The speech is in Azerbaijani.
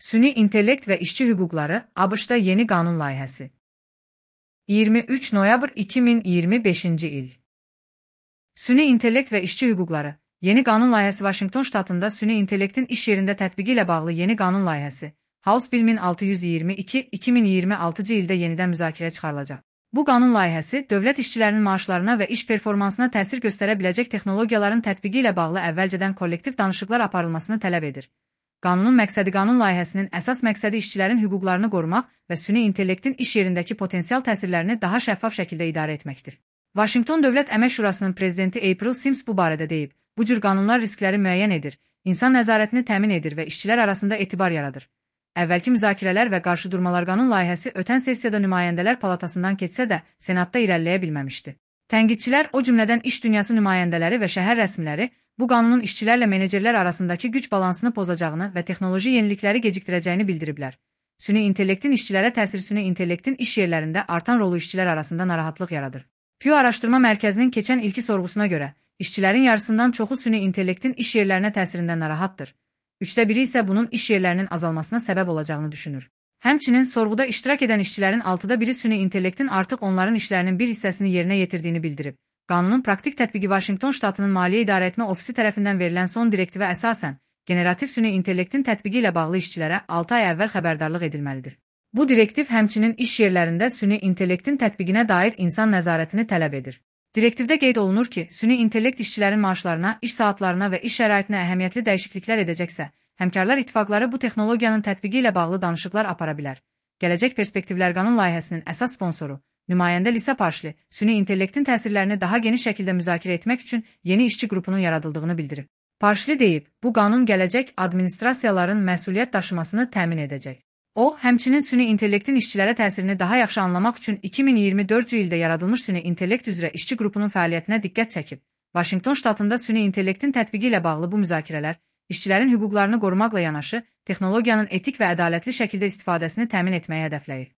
Süni intellekt və işçi hüquqları ABŞ-da yeni qanun layihəsi. 23 noyabr 2025-ci il. Süni intellekt və işçi hüquqları yeni qanun layihəsi Vaşinqton ştatında süni intellektin iş yerində tətbiqi ilə bağlı yeni qanun layihəsi House Bill 1622 2026-cı ildə yenidən müzakirəyə çıxarılacaq. Bu qanun layihəsi dövlət işçilərinin maaşlarına və iş performansına təsir göstərə biləcək texnologiyaların tətbiqi ilə bağlı əvvəlcədən kollektiv danışıqlar aparılmasını tələb edir. Qanunun məqsədi qanun layihəsinin əsas məqsədi işçilərin hüquqlarını qorumaq və süni intellektin iş yerindəki potensial təsirlərini daha şəffaf şəkildə idarə etməkdir. Vaşinqton Dövlət Əmək Şurasının prezidenti April Sims bu barədə deyib, bu cür qanunlar riskləri müəyyən edir, insan nəzarətini təmin edir və işçilər arasında etibar yaradır. Əvvəlki müzakirələr və qarşıdurmalar qanun layihəsi ötən sessiyada nümayəndələr palatasından keçsə də, Senatda irəliləyə bilməmişdi. Tənqidçilər, o cümlədən iş dünyası nümayəndələri və şəhər rəsmiləri, bu qanunun işçilərlə menecerlər arasındakı güc balansını pozacağını və texnoloji yenilikləri gecikdirəcəyini bildiriblər. Süni intellektin işçilərə təsiri süni intellektin iş yerlərində artan rolu işçilər arasında narahatlıq yaradır. Pew Araşdırma Mərkəzinin keçən ilki sorğusuna görə, işçilərin yarısından çoxu süni intellektin iş yerlərinə təsirindən narahatdır. 1/3 isə bunun iş yerlərinin azalmasına səbəb olacağını düşünür. Həmçinin sorğuda iştirak edən işçilərin 1/6-ı süni intellektin artıq onların işlərinin bir hissəsini yerinə yetirdiyini bildirib. Qanunun praktik tətbiqi Vaşinqton ştatının Maliyyə İdarəetmə Ofisi tərəfindən verilən son direktivə əsasən, generativ süni intellektin tətbiqi ilə bağlı işçilərə 6 ay əvvəl xəbərdarlıq edilməlidir. Bu direktiv həmçinin iş yerlərində süni intellektin tətbiqinə dair insan nəzarətini tələb edir. Direktivdə qeyd olunur ki, süni intellekt işçilərin maaşlarına, iş saatlarına və iş şəraitinə əhəmiyyətli dəyişikliklər edəcəksə, həmkarlar ittifaqları bu texnologiyanın tətbiqi ilə bağlı danışıqlar apara bilər. Gələcək perspektivlər qanun layihəsinin əsas sponsoru, nümayəndə Lisa Parşli, süni intellektin təsirlərini daha geniş şəkildə müzakirə etmək üçün yeni işçi qrupunun yaradıldığını bildirib. Parşli deyib, bu qanun gələcək administrasiyaların məsuliyyət daşımasını təmin edəcək. O, həmçinin süni intellektin işçilərə təsirini daha yaxşı anlamaq üçün 2024-cü ildə yaradılmış süni intellekt üzrə işçi qrupunun fəaliyyətinə diqqət çəkib. Vaşinqton ştatında süni intellektin tətbiqi ilə bağlı bu müzakirələr, işçilərin hüquqlarını qorumaqla yanaşı, texnologiyanın etik və ədalətli şəkildə istifadəsini təmin etməyə hədəfləyir.